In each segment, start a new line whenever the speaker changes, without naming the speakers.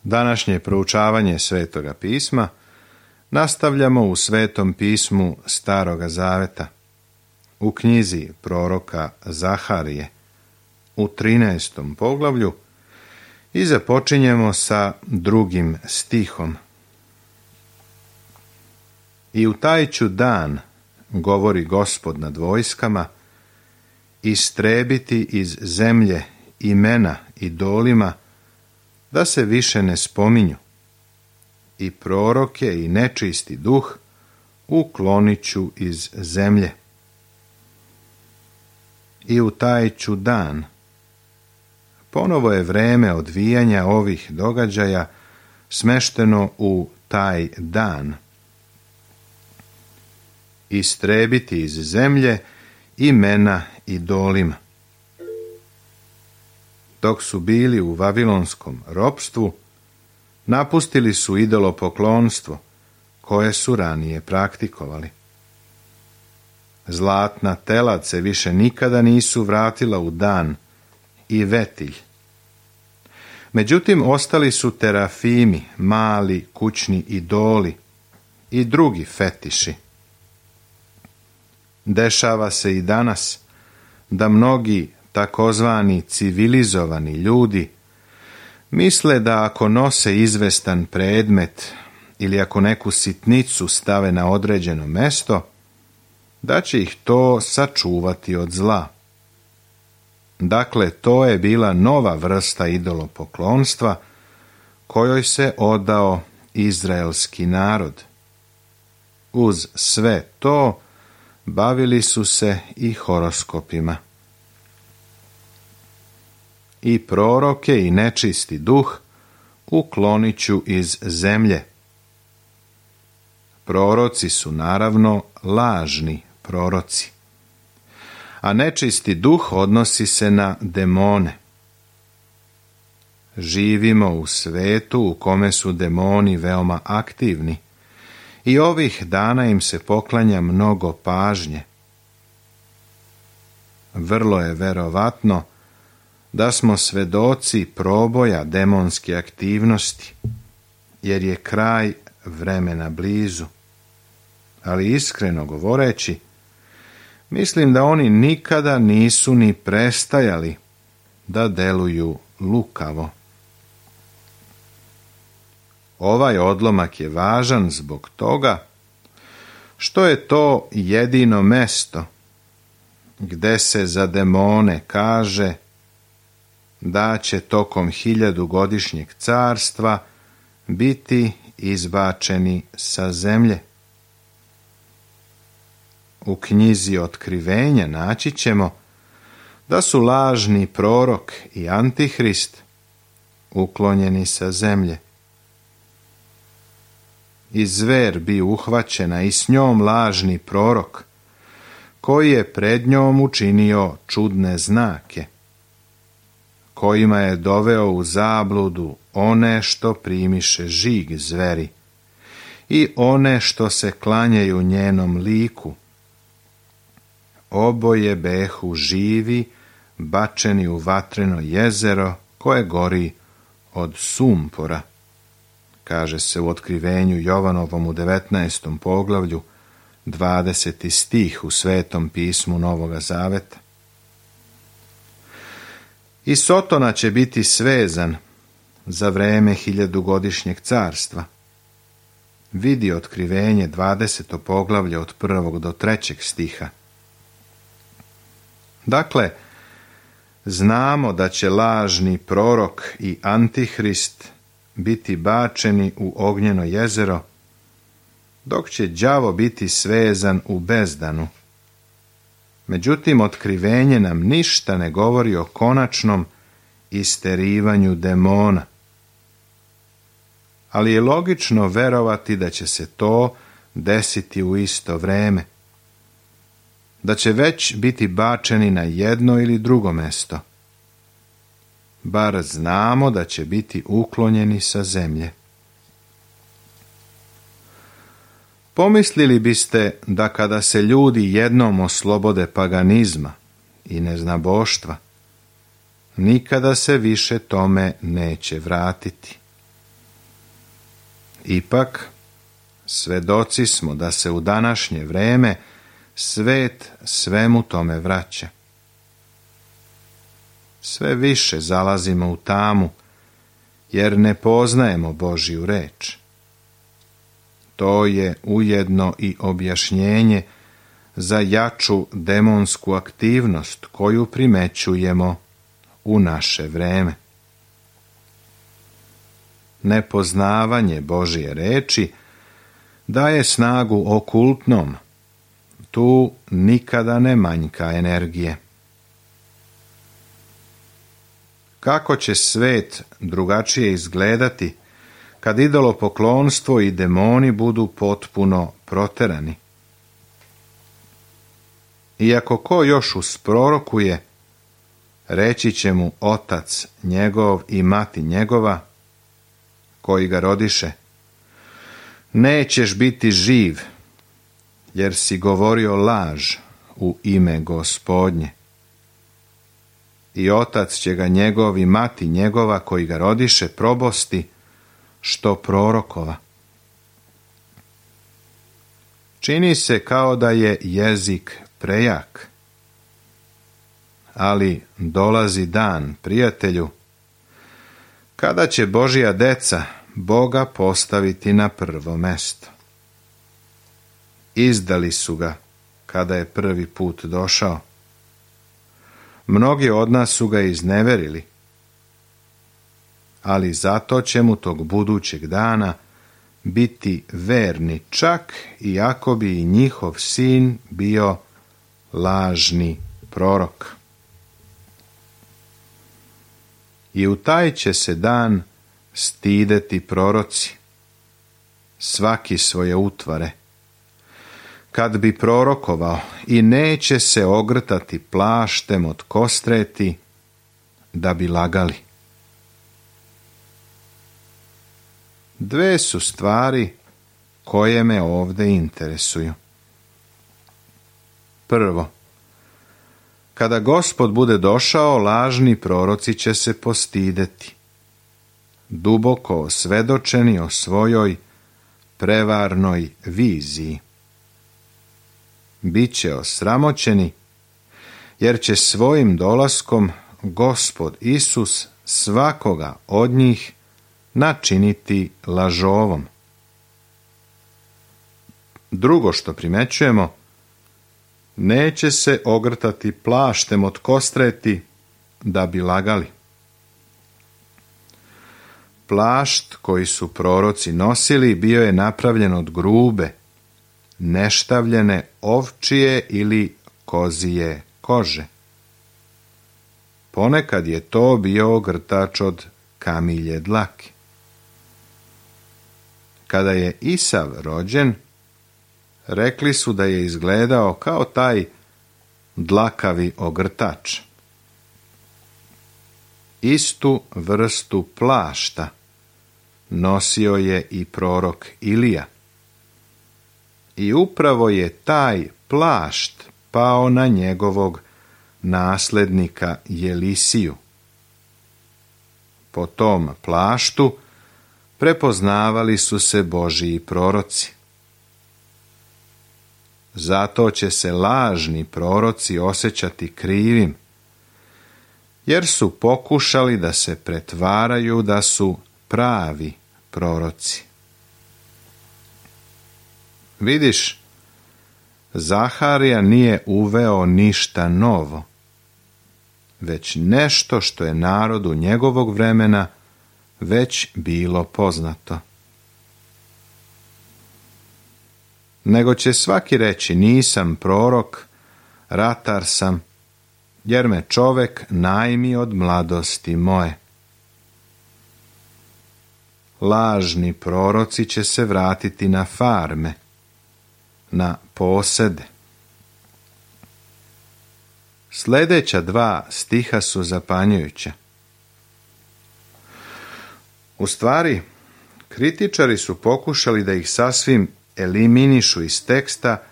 Današnje proučavanje Svetoga pisma nastavljamo u Svetom pismu Staroga Zaveta, u knjizi proroka Zaharije, u 13. poglavlju i započinjemo sa 2. stihom. I u taj ću dan, govori Gospod nad vojskama, istrebiti iz zemlje imena idolima, da se više ne spominju, i proroke i nečisti duh uklonit ću iz zemlje. I u taj ću dan. Ponovo je vreme odvijanja ovih događaja smešteno u taj dan. Istrebiti iz zemlje imena idolima. Dok su bili u vavilonskom ropstvu, napustili su idolopoklonstvo, koje su ranije praktikovali. Zlatna telad se više nikada nisu vratila u dan i vetilj. Međutim, ostali su terafimi, mali kućni idoli i drugi fetiši. Dešava se i danas da mnogi takozvani civilizovani ljudi misle da ako nose izvestan predmet ili ako neku sitnicu stave na određeno mesto, da će ih to sačuvati od zla. Dakle, to je bila nova vrsta idolopoklonstva kojoj se odao izraelski narod. Uz sve to bavili su se i horoskopima. I proroke i nečisti duh uklonit ću iz zemlje. Proroci su naravno lažni proroci, a nečisti duh odnosi se na demone. Živimo u svetu u kome su demoni veoma aktivni i ovih dana im se poklanja mnogo pažnje. Vrlo je verovatno da smo svedoci proboja demonske aktivnosti, jer je kraj vremena blizu. Ali iskreno govoreći, mislim da oni nikada nisu ni prestajali da deluju lukavo. Ovaj odlomak je važan zbog toga što je to jedino mesto gde se za demone kaže da će tokom 1000-godišnjeg carstva biti izbačeni sa zemlje. U knjizi Otkrivenja naći ćemo da su lažni prorok i antihrist uklonjeni sa zemlje. I zver bi uhvaćena i s njom lažni prorok, koji je pred njom učinio čudne znake, kojima je doveo u zabludu one što primiše žig zveri i one što se klanjaju njenom liku. Oboje behu živi, bačeni u vatreno jezero koje gori od sumpora, kaže se u Otkrivenju Jovanovom u 19. poglavlju, 20. stih u Svetom pismu Novoga Zaveta. I Sotona će biti svezan za vreme 1000-godišnjeg carstva. Vidi Otkrivenje 20. poglavlje od 1. do 3. stiha. Dakle, znamo da će lažni prorok i antihrist biti bačeni u ognjeno jezero, dok će đavo biti svezan u bezdanu. Međutim, Otkrivenje nam ništa ne govori o konačnom isterivanju demona. Ali je logično verovati da će se to desiti u isto vreme, da će već biti bačeni na jedno ili drugo mesto. Bar znamo da će biti uklonjeni sa zemlje. Pomislili biste da kada se ljudi jednom oslobode paganizma i neznaboštva, nikada se više tome neće vratiti. Ipak, svedoci smo da se u današnje vreme svet svemu tome vraća. Sve više zalazimo u tamu, jer ne poznajemo Božju reč. To je ujedno i objašnjenje za jaču demonsku aktivnost koju primećujemo u naše vreme. Nepoznavanje Božje reči daje snagu okultnom. Tu nikada ne manjka energije. Kako će svet drugačije izgledati kad idolopoklonstvo i demoni budu potpuno proterani? Iako ko još usprorokuje, reći će mu otac njegov i mati njegova, koji ga rodiše: nećeš biti živ, jer si govorio laž u ime Gospodnje. I otac će ga njegov i mati njegova, koji ga rodiše, probosti što prorokova. Čini se kao da je jezik prejak, ali dolazi dan, prijatelju, kada će Božja deca Boga postaviti na prvo mesto. Izdali su ga kada je prvi put došao. Mnogi od nas su ga izneverili, ali zato će mu tog budućeg dana biti verni, čak i ako bi i njihov sin bio lažni prorok. I u taj će se dan stideti proroci, svaki svoje utvare, kad bi prorokovao, i neće se ogrtati plaštem od kostreti da bi lagali. Dve su stvari koje me ovdje interesuju. Prvo, kada Gospod bude došao, lažni proroci će se postideti, duboko osvedočeni o svojoj prevarnoj viziji. Biće osramoćeni, jer će svojim dolaskom Gospod Isus svakoga od njih načiniti lažovom. Drugo što primećujemo, neće se ogrtati plaštem od kostreti da bi lagali. Plašt koji su proroci nosili bio je napravljen od grube, neštavljene ovčije ili kozije kože. Ponekad je to bio ogrtač od kamilje dlake. Kada je Isav rođen, rekli su da je izgledao kao taj dlakavi ogrtač. Istu vrstu plašta nosio je i prorok Ilija. I upravo je taj plašt pao na njegovog naslednika Jelisiju. Po tom plaštu prepoznavali su se Božji proroci. Zato će se lažni proroci osjećati krivim, jer su pokušali da se pretvaraju da su pravi proroci. Vidiš, Zaharija nije uveo ništa novo, već nešto što je narodu njegovog vremena već bilo poznato. Nego će svaki reći: nisam prorok, ratar sam, jer me čovek najmi od mladosti moje. Lažni proroci će se vratiti na farme, na posede. Sljedeća dva stiha su zapanjujuća. U stvari, kritičari su pokušali da ih sasvim eliminišu iz teksta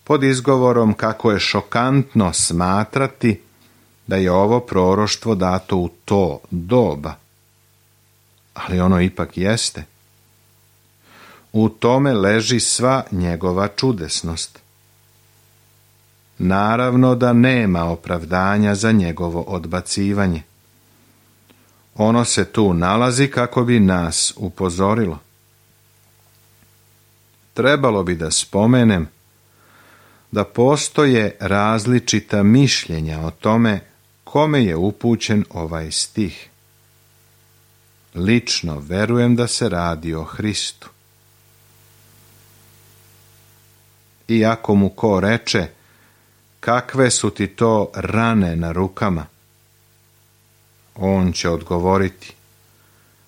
pod izgovorom kako je šokantno smatrati da je ovo proroštvo dato u to doba. Ali ono ipak jeste. U tome leži sva njegova čudesnost. Naravno da nema opravdanja za njegovo odbacivanje. Ono se tu nalazi kako bi nas upozorilo. Trebalo bi da spomenem da postoje različita mišljenja o tome kome je upućen ovaj stih. Lično verujem da se radi o Hristu. I ako mu ko reče, kakve su ti to rane na rukama? On će odgovoriti,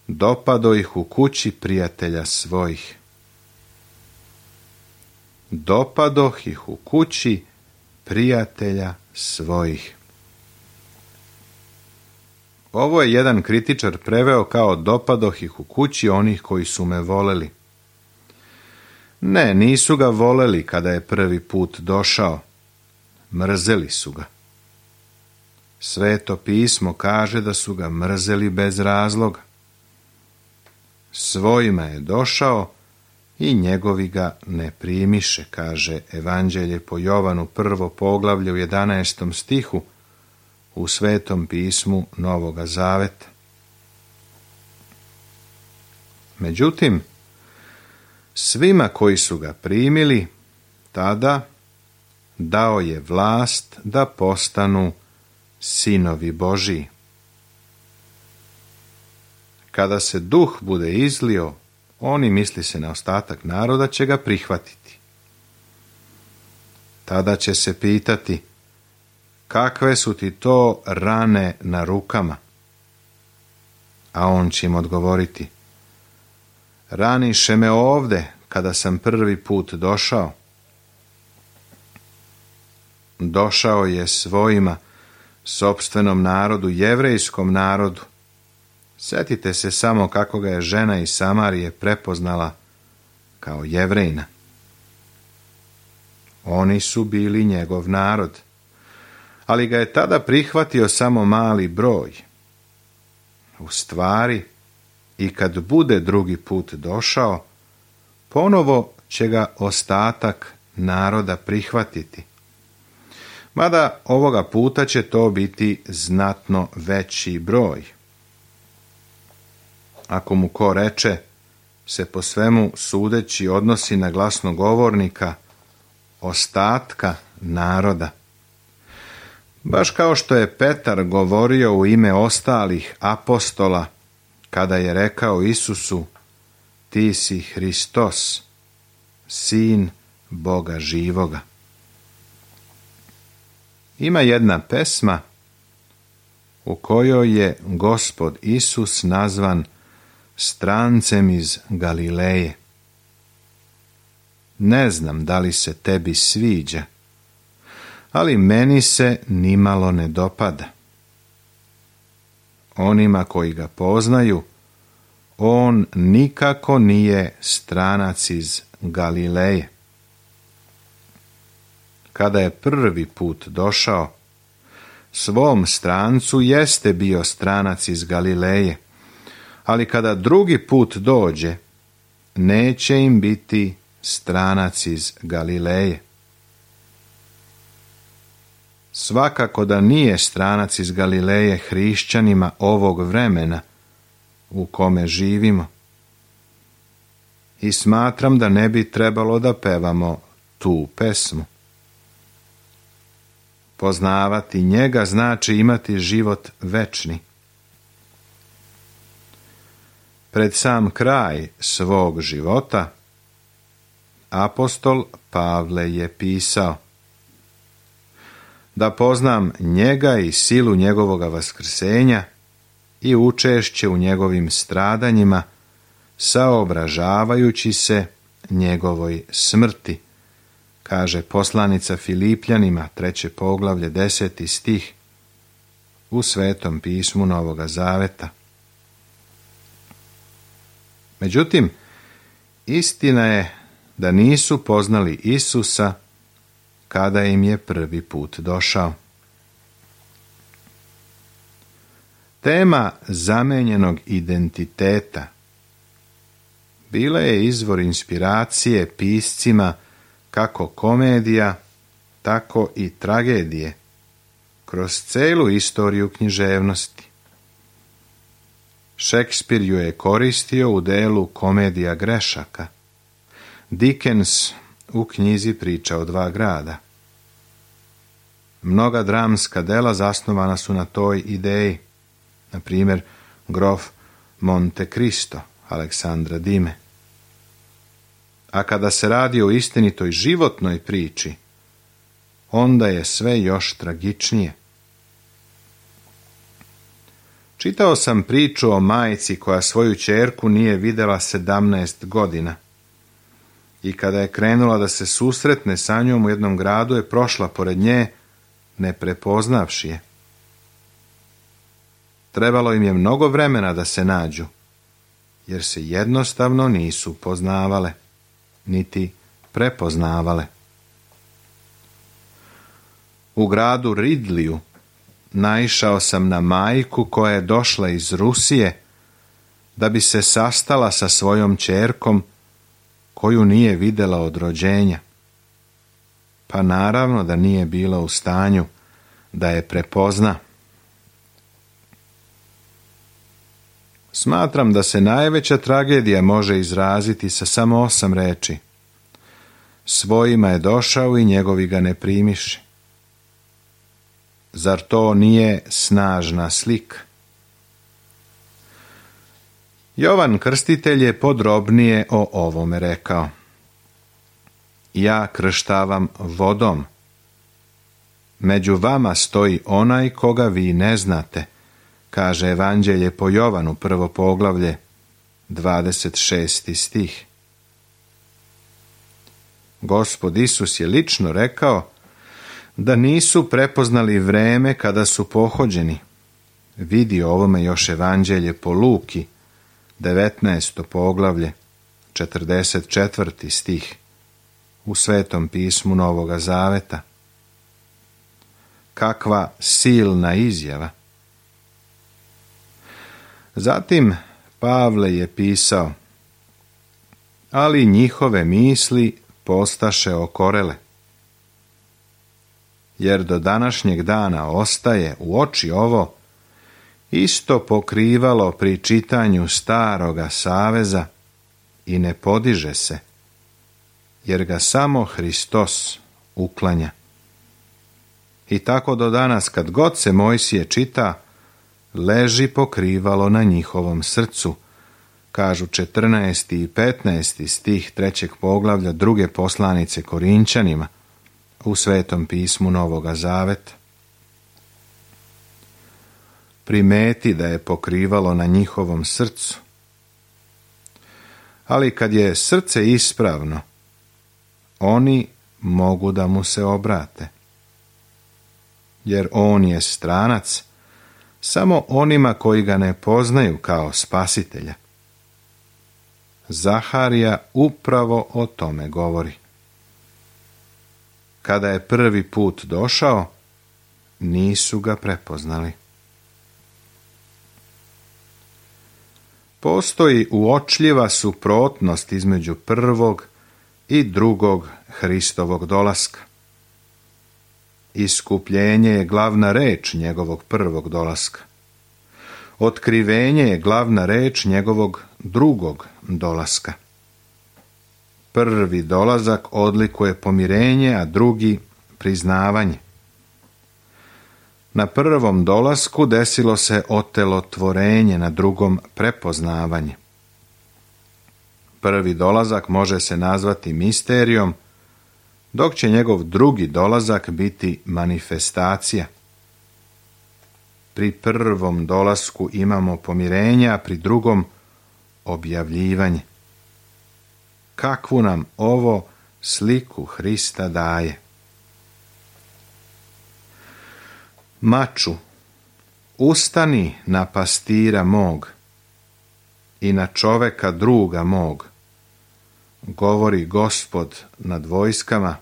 dopado ih u kući prijatelja svojih. Dopadoh ih u kući prijatelja svojih. Ovo je jedan kritičar preveo kao dopadoh ih u kući onih koji su me voleli. Ne, nisu ga voleli kada je prvi put došao. Mrzeli su ga. Sveto pismo kaže da su ga mrzeli bez razloga. Svojima je došao i njegovi ga ne primiše, kaže Evanđelje po Jovanu 1. poglavlje u 11. stihu u Svetom pismu Novoga Zaveta. Međutim, svima koji su ga primili, tada dao je vlast da postanu sinovi Božiji. Kada se duh bude izlio, oni, misli se na ostatak naroda, će ga prihvatiti. Tada će se pitati, kakve su ti to rane na rukama? A on će im odgovoriti, raniše me ovde kada sam prvi put došao. Došao je svojima, sopstvenom narodu, jevrejskom narodu. Sjetite se samo kako ga je žena iz Samarije prepoznala kao Jevrejina. Oni su bili njegov narod, ali ga je tada prihvatio samo mali broj. U stvari, i kad bude drugi put došao, ponovo će ga ostatak naroda prihvatiti. Mada ovoga puta će to biti znatno veći broj. Ako mu ko reče, se po svemu sudeći odnosi na glasnogovornika ostatka naroda. Baš kao što je Petar govorio u ime ostalih apostola, kada je rekao Isusu, ti si Hristos, sin Boga živoga. Ima jedna pesma u kojoj je Gospod Isus nazvan strancem iz Galileje. Ne znam da li se tebi sviđa, ali meni se nimalo ne dopada. Onima koji ga poznaju, on nikako nije stranac iz Galileje. Kada je prvi put došao, svom strancu jeste bio stranac iz Galileje, ali kada drugi put dođe, neće im biti stranac iz Galileje. Svakako da nije stranac iz Galileje hrišćanima ovog vremena u kome živimo. I smatram da ne bi trebalo da pevamo tu pesmu. Poznavati njega znači imati život večni. Pred sam kraj svog života apostol Pavle je pisao: da poznam njega i silu njegovoga vaskrsenja i učešće u njegovim stradanjima, saobražavajući se njegovoj smrti, kaže poslanica Filipljanima, 3. poglavlje, 10. stih u Svetom pismu Novoga Zaveta. Međutim, istina je da nisu poznali Isusa kada im je prvi put došao. Tema zamenjenog identiteta bila je izvor inspiracije piscima kako komedija, tako i tragedije, kroz celu istoriju književnosti. Šekspir ju je koristio u delu Komedija grešaka, Dickens u knjizi Priča o dva grada. Mnoga dramska dela zasnovana su na toj ideji, na primjer Grof Monte Cristo Aleksandra Dime. A kada se radi o istinitoj životnoj priči, onda je sve još tragičnije. Čitao sam priču o majci koja svoju ćerku nije vidjela 17 godina. I kada je krenula da se susretne sa njom u jednom gradu, je prošla pored nje, ne prepoznavši je. Trebalo im je mnogo vremena da se nađu, jer se jednostavno nisu poznavale, niti prepoznavale. U gradu Ridliju naišao sam na majku koja je došla iz Rusije da bi se sastala sa svojom ćerkom koju nije vidjela od rođenja. Pa naravno da nije bila u stanju da je prepozna. Smatram da se najveća tragedija može izraziti sa samo 8 reči. Svojima je došao i njegovi ga ne primiše. Zar to nije snažna slika? Jovan Krstitelj je podrobnije o ovome rekao. Ja krštavam vodom. Među vama stoji onaj koga vi ne znate, kaže Evanđelje po Jovanu, 1. poglavlje, 26. stih. Gospod Isus je lično rekao da nisu prepoznali vreme kada su pohođeni. Vidi o ovome još Evanđelje po Luki, 19. poglavlje, 44. stih, u Svetom pismu Novoga Zaveta. Kakva silna izjava! Zatim Pavle je pisao, ali njihove misli postaše okorele, jer do današnjeg dana ostaje u oči ovo isto pokrivalo pri čitanju Staroga Saveza i ne podiže se, jer ga samo Hristos uklanja. I tako do danas kad god se Mojsije čita, leži pokrivalo na njihovom srcu, kažu 14. i 15. stih 3. poglavlja 2. poslanice Korinčanima u Svetom pismu Novoga Zaveta. Primeti da je pokrivalo na njihovom srcu. Ali kad je srce ispravno, oni mogu da mu se obrate. Jer on je stranac samo onima koji ga ne poznaju kao spasitelja. Zaharija upravo o tome govori. Kada je prvi put došao, nisu ga prepoznali. Postoji uočljiva suprotnost između prvog i drugog Hristovog dolaska. Iskupljenje je glavna reč njegovog prvog dolaska. Otkrivenje je glavna reč njegovog drugog dolaska. Prvi dolazak odlikuje pomirenje, a drugi priznavanje. Na prvom dolasku desilo se otelotvorenje, na drugom prepoznavanje. Prvi dolazak može se nazvati misterijom, dok će njegov drugi dolazak biti manifestacija. Pri prvom dolasku imamo pomirenje, a pri drugom objavljivanje. Kakvu nam ovo sliku Hrista daje? Maču, ustani na pastira mog i na čoveka druga mog, govori Gospod nad vojskama.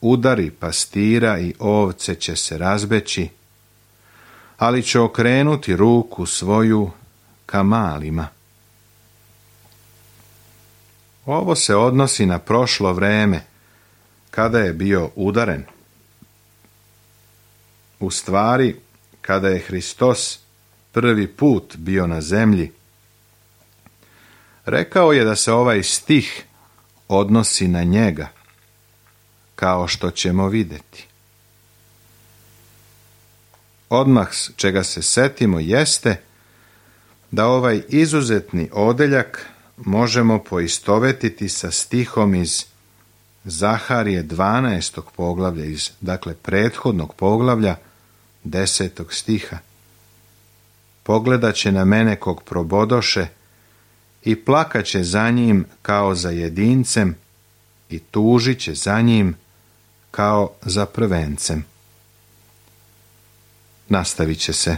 Udari pastira i ovce će se razbeći, ali će okrenuti ruku svoju ka malima. Ovo se odnosi na prošlo vreme, kada je bio udaren. U stvari, kada je Hristos prvi put bio na zemlji, rekao je da se ovaj stih odnosi na njega, kao što ćemo vidjeti. Odmah čega se setimo jeste da ovaj izuzetni odeljak možemo poistovetiti sa stihom iz Zaharije 12. poglavlja, dakle prethodnog poglavlja 10. stiha. Pogledat će na mene kog probodoše i plakaće za njim kao za jedincem i tužit će za njim kao za prvencem. Nastavit će se.